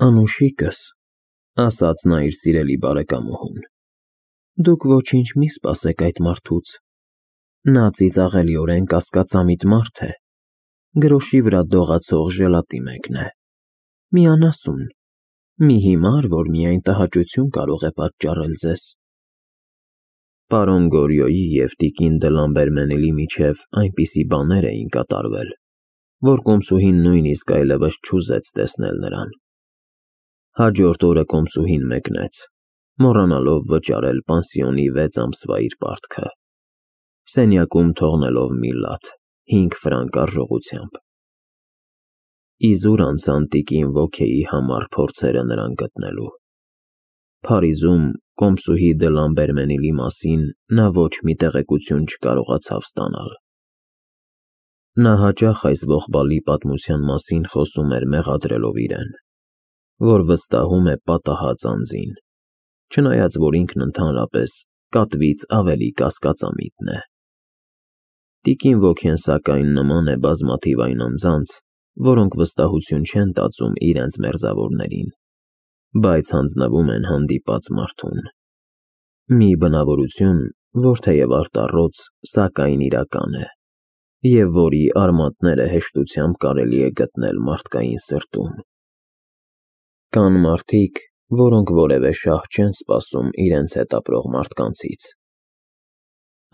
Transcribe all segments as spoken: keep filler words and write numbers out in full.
Անուշիկս, ասաց նա իր սիրելի բարեկամուհուն, դուք ոչինչ մի սպասեք այդ մարդուց, նա ծիծաղելիորեն կասկածամիտ մարդ է, գրոշի վրա դողացող ժելատի մեկն է, մի անասուն, մի հիմար, որ միայն տհաճություն կարող է պատճառել ձեզ։ Պարոն Գորյոյի և տիկին դը Լամբերմենիլի միջև այնպիսի բաներ էին կատարվել, որ կոմսուհին նույնիսկ այլևս չուզեց տեսնել նրան։ Հաջորդ օրը կոմսուհին մեկնեց, մոռանալով վճարել պանսիոնի վեց ամսվա իր պարտքը, սենյակում թողնելով մի լաթ հինգ ֆրանկ արժողությամբ։ Իզուր անցան տիկին Ոքեի համառ փորձերը նրան գտնելու։ Փարիզում կոմսուհի դը Լամբերմենիլի մասին նա ոչ մի տեղեկություն չկարողացավ ստանալ։ Նա հաճախ այս ողբալի պատմության մասին խոսում էր մեղադրելով իրեն, որ վստահում է պատահած անձին, չնայած որ ինքն ընդհանրապես կատվից ավելի կասկածամիտն է։ Տիկին Ոքեն սակայն նման է բազմաթիվ այն անձանց, որոնք վստահություն չեն տածում իրենց մերձավորներին, բայց հանձնվում են հանդիպած մարդուն։ Մի բնավորություն, որ թեև արտառոց, սակայն իրական է, և որի արմատները հեշտությամբ կարելի է գտնել մարդկային սրտում։ Կան մարդիկ, որոնք որևէ շահ չեն սպասում իրենց հետ ապրող մարդկանցից։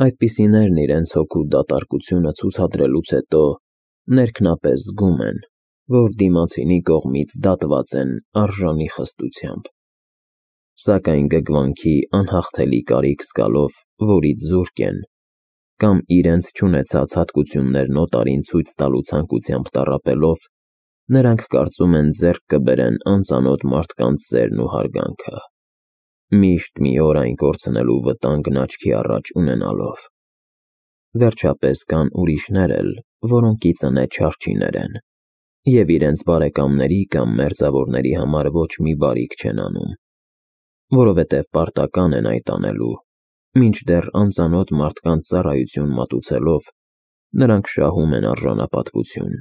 Այդպիսիներն իրենց հոգու դատարկությունը ցուցադրելուց հետո ներքնապես զգում են, որ դիմացինի կողմից դատված են արժանի խստությամբ, սակայն գգվանքի անհաղթելի կարիք զգալով, որից զուրկ են, կամ իրենց չունեցած հատկություններն օտարին ցույց տալու ցանկությամբ տառապելով, նրանք կարծում են ձեռք կբերեն անծանոթ մարդկանց սերն ու հարգանքը, միշտ մի օր այն կորցնելու վտանգն աչքի առաջ ունենալով։ Վերջապես կան ուրիշներ էլ, որոնք ի ծնե չարչիներ են, և իրենց բարեկամների կամ մերձավորների համար ոչ մի բարիք չեն անում, որովհետև պարտական են այդ անելու, մինչդեռ անծանոթ մարդկանց ծառայություն մատուցելով, նրանք շահում են արժանապատվություն,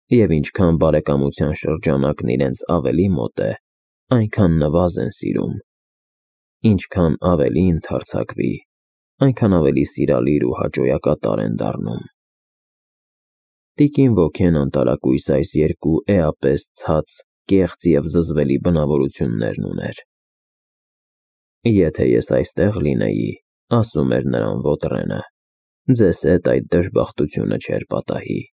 և ինչքան բարեկամության շրջանակն իրենց ավելի մոտ է, այնքան նվազ են սիրում, ինչքան ավելի ընդարձակվի, այնքան ավելի սիրալիր ու հաճոյակատար են դառնում։ Տիկին Ոքեն անտարակույս այս երկու էապես ցած, կեղծ և զզվելի բնավորություններն ուներ։ Եթե ես այստեղ լինեի, ասում էր նրան ոտռենը, ձեզ հետ այդ դժբախտությունը չէր պատահի։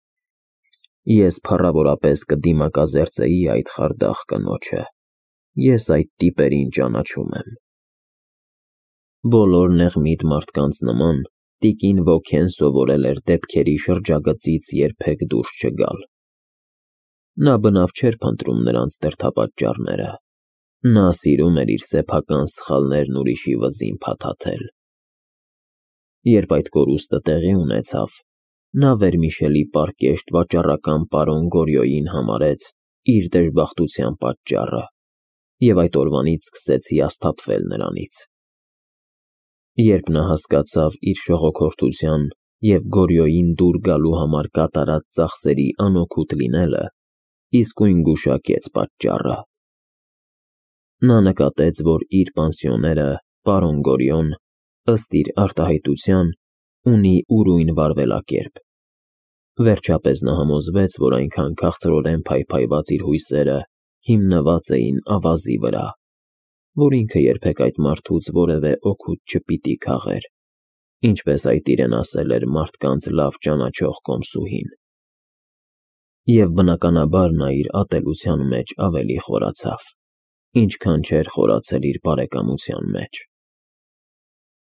Ես փառավորապես կդիմակազերծեի այդ խարդախ կնոջը, ես այդ տիպերին ճանաչում եմ։ Բոլոր նեղմիտ մարդկանց նման, տիկին Ոքեն սովորել էր դեպքերի շրջագծից երբեք դուրս չգալ։ Նա բնավ չէր փնտրում նրանց դրդապատճառները, նա սիրում էր իր սեփական սխալներն ուրիշի վզին փաթաթել։ Երբ այդ կորուստը տեղի ունեցավ, նա վերմիշելի պարկեշտ վաճառական պարոն Գորյոյին համարեց իր դժբախտության պատճառը և այդ օրվանից սկսեց հիասթափվել նրանից։ Երբ նա հասկացավ իր շողոքորթության և Գորյոյին դուր գալու համար կատարած ծախսերի անօգուտ լինելը, իսկույն գուշակեց պատճառը։ Նա նկատեց, որ իր պանսիոները, պարոն Գորյոն, ըստ իր արտահայտության, ունի ուրույն վարվելակերպ։ Վերջապես նա համոզվեց, որ այնքան քաղցրորեն փայփայված իր հույսերը հիմնված էին ավազի վրա, որ ինքը երբեք այդ մարդուց որևէ օգուտ չպիտի քաղեր, ինչպես այդ իրեն ասել էր մարդկանց լավ ճանաչող կոմսուհին։ Եվ բնականաբար նա իր ատելության մեջ ավելի խորացավ, ինչքան չէր խորացել իր բարեկամության մեջ։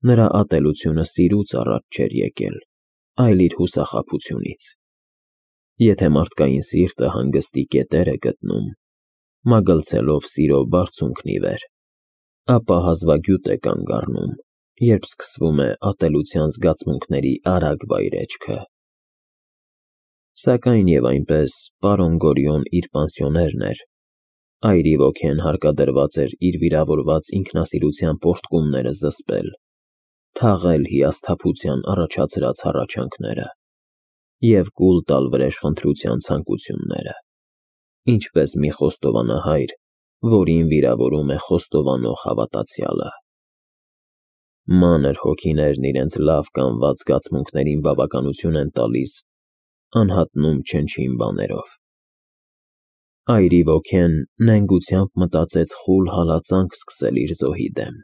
Նրա ատելությունը սիրուց առաջ չէր եկել, այլ իր հուսախաբությունից։ Եթե մարդկային սիրտը հանգստի կետեր է գտնում, մագլցելով սիրո բարձունքն ի վեր, ապա հազվագյուտ է կանգ առնում, երբ սկսվում է ատելության զգացմունքների արագ վայրէջքը։ Սակայն և այնպես պարոն Գորյոն իր պանսիոներն էր, այրի ոգին հարկադրված էր իր վիրավորված ինքնասիրության պոռթկումները զսպել, թաղել հիասթափության առաջացրած հառաչանքները և կուլ տալ վրեժխնդրության ցանկությունները, ինչպես մի խոստովանահայր, որին վիրավորում է խոստովանող հավատացյալը։ Մանր հոգիներն իրենց լավ կանված զգացմունքներին բավականություն են տալիս, անհատնում չնչին բաներով։ Այրի ոգեն նենգությամբ մտածեց խուլ հալածանք սկսել իր զոհի դեմ։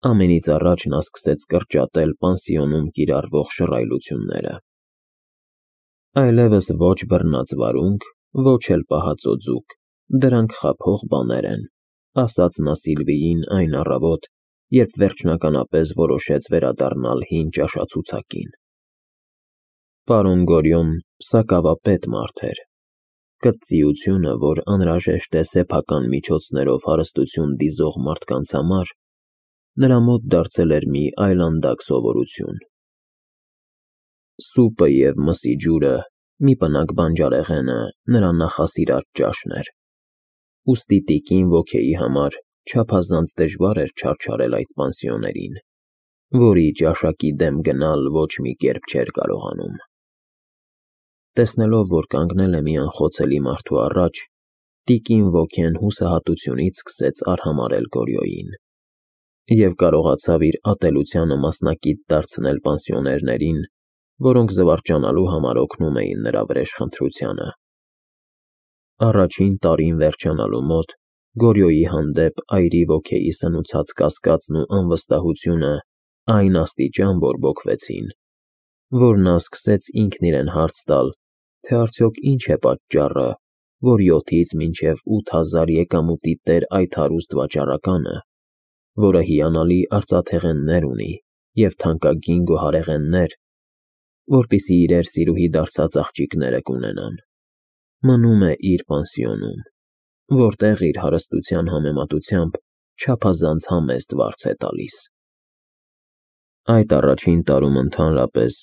Ամենից առաջ նա սկսեց կրճատել պանսիոնում կիրառվող շռայլությունները։ Այլևս ոչ բռնած վարունգ, ոչ էլ պահածո ձուկ, դրանք խաբող բաներ են, ասաց նա Սիլվիին այն առավոտ, երբ վերջնականապես որոշեց վերադառնալ հին ճաշացուցակին։ Պարոն Գորյոն սակավապետ մարդ էր։ Կծծիությունը, որ անհրաժեշտ է սեփական միջոցներով հարստություն դիզող մարդկանց համար, նրա մոտ դարձել էր մի այլանդակ սովորություն։ Սուպը և մսի ջուրը, մի պնակ բանջարեղենը նրա նախասիրած ճաշն էր, ուստի տիկին Ոքեի համար չափազանց դժվար էր չարչարել այդ պանսիոներին, որի ճաշակի դեմ գնալ ոչ մի կերպ չէր կարողանում։ Տեսնելով, որ կանգնել է մի անխոցելի մարդու առաջ, տիկին Ոքեն հուսահատությունից սկսեց արհամարհել Գորյոյին և կարողացավ իր ատելությանը մասնակից դարձնել պանսիոներներին, որոնք զվարճանալու համար օգնում էին նրա վրեժխնդրությանը։ Առաջին տարին վերջանալու մոտ Գորյոյի հանդեպ այրի Ոքեի սնուցած կասկածն ու անվստահությունը այն աստիճան բորբոքվեցին, որ նա սկսեց ինքն իրեն հարց տալ, թե արդյոք ինչ է պատճառը, որ յոթից մինչև ութ հազար եկամուտի տեր այդ հարուստ վաճառականը, որը հիանալի արծաթեղեններ ունի և թանկագին գոհարեղեններ, որպեսզի իրեր սիրուհի դարձած աղջիկները կունենան, մնում է իր պանսիոնում, որտեղ իր հարստության համեմատությամբ չափազանց համեստ վարձ է տալիս։ Այդ առաջին տարում ընդհանրապես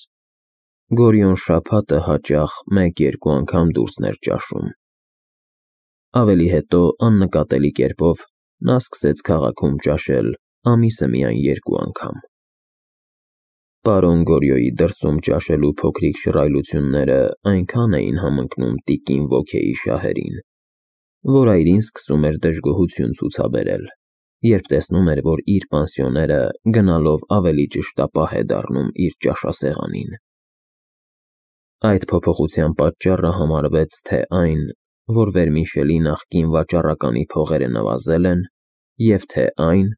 Գորյոն շաբաթը հաճախ մեկ-երկու անգամ դուրսն էր ճաշում։ Ավելի հետո աննկատելի կերպով նա սկսեց քաղաքում ճաշել ամիսը միայն երկու անգամ։ Պարոն Գորյոյի դրսում ճաշելու փոքրիկ շռայլությունները այնքան էին համընկնում տիկին Ոքեի շահերին, որ այրին սկսում էր դժգոհություն ցուցաբերել, երբ տեսնում էր, որ իր պանսիոները գնալով ավելի ճշտապահ է դառնում իր ճաշասեղանին։ Այդ փոփոխության պատճառը համարվեց թե այն, որ Վերմիշելի նախկին վաճառականի փողերը նվազել են, և թե այն,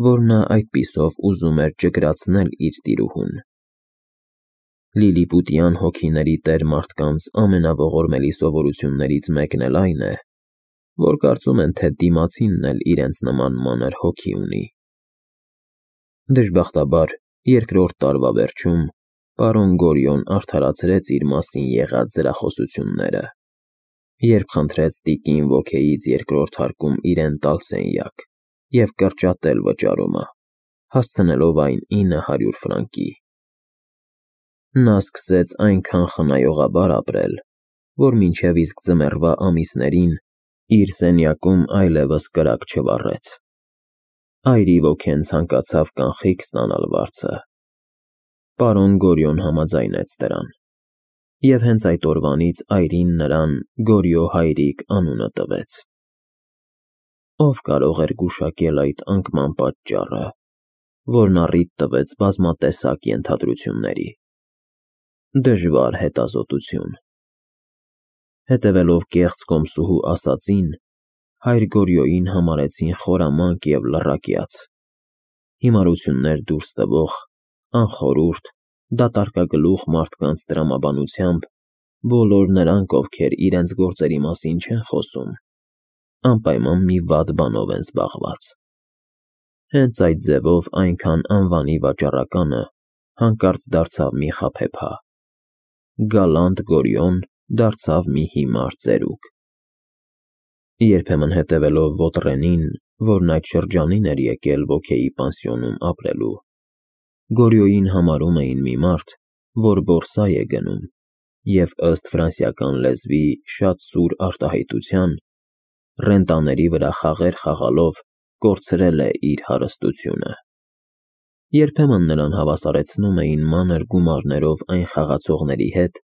որ նա այդպիսով ուզում էր ճկրացնել իր տիրուհուն։ Լիլիպուտյան հոգիների տեր մարդկանց ամենաողորմելի սովորություններից մեկն էլ այն է, որ կարծում են, թե դիմացինն էլ իրենց նման մանր հոգի ունի։ Դժբախտաբար, երկրորդ տարվա վերջում պարոն Գորյոն արդարացրեց իր մասին եղած զրախոսությունները, երբ խնդրեց տիկին Ոքեից երկրորդ հարկում իրեն տալ սենյակ և կրճատել վճարումը, հասցնելով այն ինը հարյուր ֆրանկի։ Նա սկսեց այնքան խնայողաբար ապրել, որ մինչև իսկ ձմեռվա ամիսներին իր սենյակում այլևս կրակ չվառեց։ Այրի Ոքեն ցանկացավ կանխիկ ստանալ վարձը։ Պարոն Գորյոն համաձայնեց դրան, և հենց այդ օրվանից այրին նրան Գորյո հայրիկ անունը տվեց։ Ով կարող էր գուշակել այդ անկման պատճառը, որն առիթ տվեց բազմատեսակ ենթադրությունների։ Դժվար հետազոտություն։ Հետևելով կեղծ կոմսուհու ասածին, հայր Գորյոյին համարեցին խորամանկ և լռակյաց, հիմարություններ դուրս տվող, անխորհուրդ, դատարկագլուխ մարդկանց տրամաբանությամբ բոլոր նրանք, ովքեր իրենց գործերի մասին չեն խոսում, անպայման մի վատ բանով են զբաղված։ Հենց այդ ձևով այնքան անվանի վաճառականը հանկարծ դարձավ մի խաբեբա։ Գալանտ Գորյոն դարձավ մի հիմար ծերուկ։ Երբեմն հետևելով Ոտրենին, որն այդ շրջանին էր եկել Ոքեի պանսիոնում ապրելու, Գորյոյին համարում էին մի մարդ, որ բորսա է գնում և, ըստ ֆրանսիական լեզվի շատ սուր արտահայտության, ռենտաների վրա խաղեր խաղալով կորցրել է իր հարստությունը։ Երբեմն նրան հավասարեցնում էին մանր գումարներով այն խաղացողների հետ,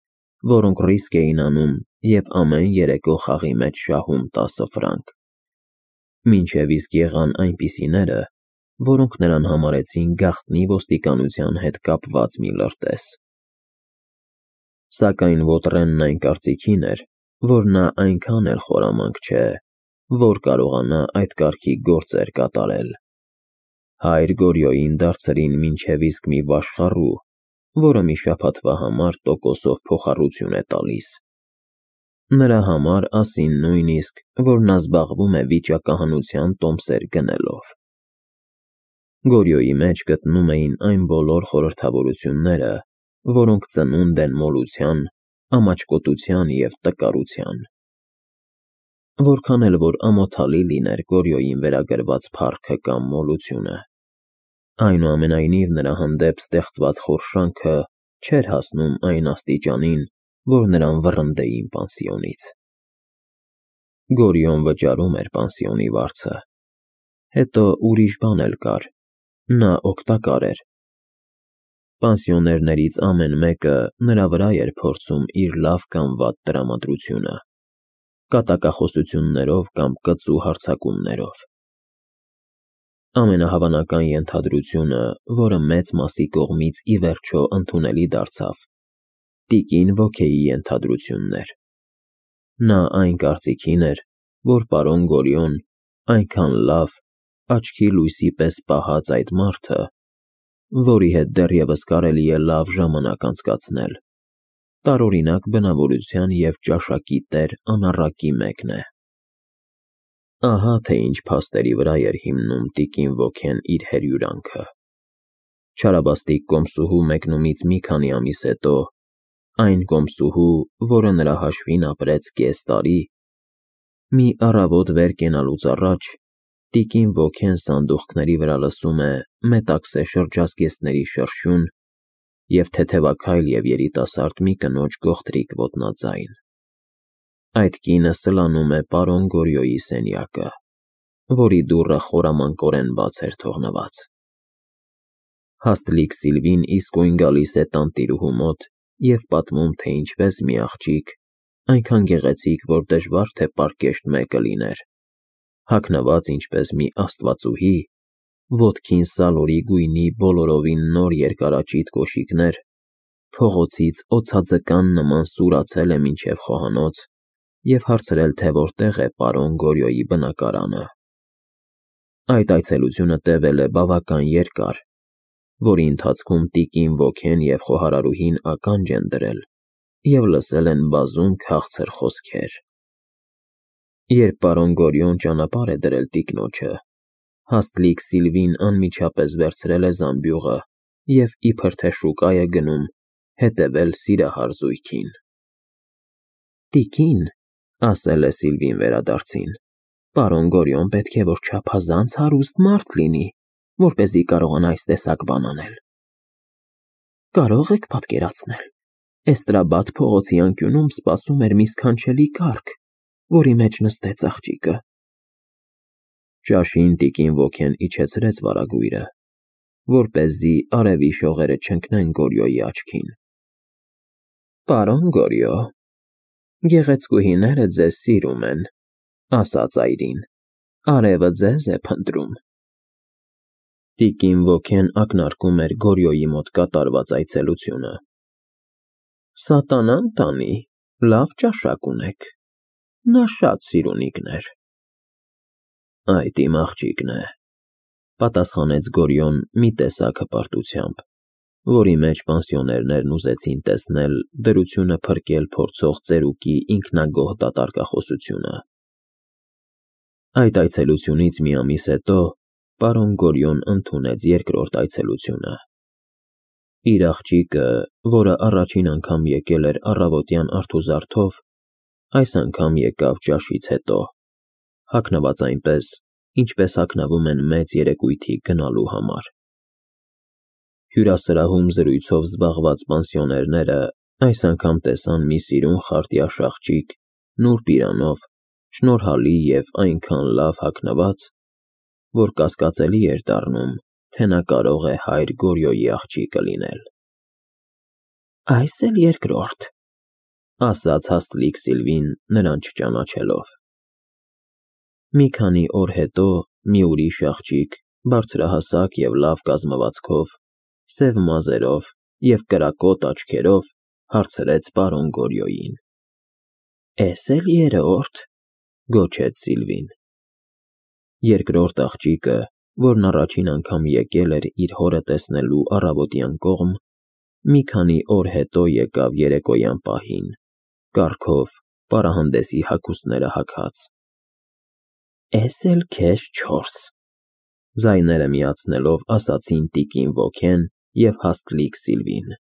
որոնք ռիսկ էին անում և ամեն երեկո խաղի մեջ շահում տասը ֆրանկ։ Մինչև իսկ եղան այնպիսիները, որոնք նրան համարեցին գաղտնի ոստիկանության հետ կապված մի լրտես։ Սակայն Ոտրենն այն կարծիքին էր, որ նա այնքան էլ խորամանկ չէ, որ կարողանա այդ կարգի գործեր կատարել։ Հայր Գորյոյին դարձրին մինչև իսկ մի վաշխառու, որը մի շաբաթվա համար տոկոսով փոխառություն է տալիս։ Նրա համար ասին նույնիսկ, որ նա զբաղվում է վիճակահանության տոմսեր գնելով։ Գորյոյի մեջ գտնում էին այն բոլոր խորհրդավորությունները, որոնք ծնունդ են մոլության, ամաչկոտության և տկարության։ Որքան էլ որ ամոթալի լիներ Գորյոյին վերագրված փառքը կամ մոլությունը, այնուամենայնիվ նրա հանդեպ ստեղծված խորշանքը չէր հասնում այն աստիճանին, որ նրան վռնդեին պանսիոնից։ Գորյոն վճարում էր պանսիոնի վարձը։ Հետո ուրիշ բան էլ կար. նա օգտակար էր։ Պանսիոներներից ամեն մեկը նրա վրա էր փորձում իր լավ կամ վատ տրամադրությունը, կատակախոսություններով կամ կծու հարձակումներով։ Ամենահավանական ենթադրությունը, որը մեծ մասի կողմից ի վերջո ընդունելի դարձավ, տիկին Վոքեի ենթադրությունն էր։ Նա այն կարծիքին էր, որ պարոն Գորյոն այնքան լավ, աչքի լույսի պես պահած այդ մարդը, որի հետ դեռևս կարելի է լավ ժամանակ անցկացնել, տարօրինակ բնավորության և ճաշակի տեր անառակի մեկն է։ Ահա թե ինչ փաստերի վրա էր հիմնում տիկին Վոքեն իր հերյուրանքը։ Չարաբաստիկ կոմսուհու մեկնումից մի քանի ամիս հետո, այն կոմսուհու, որը նրա հաշվին ապրեց կես տարի, մի առավոտ վեր կենալուց առաջ տիկին Վոքեն սանդուղքների վրա լսում է մետաքսե շրջազգեստների շրշյուն և թեթևաքայլ և երիտասարդ մի կնոջ գողտրիկ ոտնաձայն։ Այդ կինը սլանում է պարոն Գորյոյի սենյակը, որի դուռը խորամանկորեն բաց էր թողնված։ Հաստլիկ Սիլվին իսկույն գալիս է տանտիրուհու մոտ և պատմում, թե ինչպես մի աղջիկ, այնքան գեղեցիկ, որ դժվար թե պարկեշտ մեկը լիներ, հագնված ինչպես մի աստվածուհի, ոտքին սալորի գույնի բոլորովին նոր երկարաճիտ կոշիկներ, փողոցից օձաձկան նման սուրացել է մինչև խոհանոց և հարցրել, թե որտեղ է պարոն Գորյոյի բնակարանը։ Այդ այցելությունը տևել է բավական երկար, որի ընթացքում տիկին Վոքեն և խոհարարուհին ականջ են դրել և լսել են բազում քաղցր խոսքեր։ Երբ պարոն Գորյոն ճանապարհ է դրել տիկնոջը, Հաստլիկ Սիլվին անմիջապես վերցրել է զամբյուղը և իբր թե շուկա է գնում հետևել սիրահար զույգին։ Տիկին, ասել է Սիլվին վերադարձին, պարոն Գորյոն պետք է որ չափազանց հարուստ մարդ լինի, որպեսզի կարողանա այս տեսակ բան անել։ Կարո՞ղ եք պատկերացնել, Էստրաբադ փողոցի անկյունում սպասում էր մի սքանչելի կառք, որի մեջ նստեց աղջիկը։ Ճաշին տիկին Վոքեն իջեցրեց վարագույրը, որպեսզի արևի շողերը չընկնեն Գորյոյի աչքին։ Պարոն Գորյո, գեղեցկուհիները ձեզ սիրում են, ասաց այրին, արևը ձեզ է փնտրում։ Տիկին Վոքեն ակնարկում էր Գորյոյի մոտ կատարված այցելությունը։ Սատանան տանի, լավ ճաշակ ունեք, նա շատ սիրունիկն էր։ Այդ իմ աղջիկն է, պատասխանեց Գորյոն մի տեսակ հպարտությամբ, որի մեջ պանսիոներներն ուզեցին տեսնել դրությունը փրկել փորձող ծերուկի ինքնագոհ դատարկախոսությունը։ Այդ այցելությունից մի ամիս հետո պարոն Գորյոն ընդունեց երկրորդ այցելությունը։ Իր աղջիկը, որը առաջին անգամ եկել էր առավոտյան արթուզարդով, այս անգամ եկավ ճաշից հետո, հագնված այնպես, ինչպես հագնվում են մեծ երեկույթի գնալու համար։ Հյուրասրահում զրույցով զբաղված պանսիոներները այս անգամ տեսան մի սիրուն խարտյաշ աղջիկ, նուրբ իրանով, շնորհալի և այնքան լավ հագնված, որ կասկածելի էր դառնում, թե նա կարող է հայր Գորյոյի աղջիկը լինել։ Այս էլ երկրորդ, ասաց Հաստլիկ Սիլվին նրան չճանաչելով։ Մի քանի օր հետո մի ուրիշ աղջիկ, բարձրահասակ և լավ կազմվածքով, սև մազերով և կրակոտ աչքերով հարցրեց պարոն Գորյոյին։ ֊ Էս է՞լ երրո՞րդ,֊ գոչեց Սիլվին։ Երկրորդ աղջիկը, որն առաջին անգամ եկել էր իր հորը տեսնելու առավոտյան կողմ, մի քանի օր հետո եկավ երեկոյան պահին, կառքով, պարահանդեսի հագուստները հագած։ ֊ Էս էլ քեզ չորս,֊ ձայները միացնելով ասացին տիկին ոգեն և հաստլիկ Սիլվին։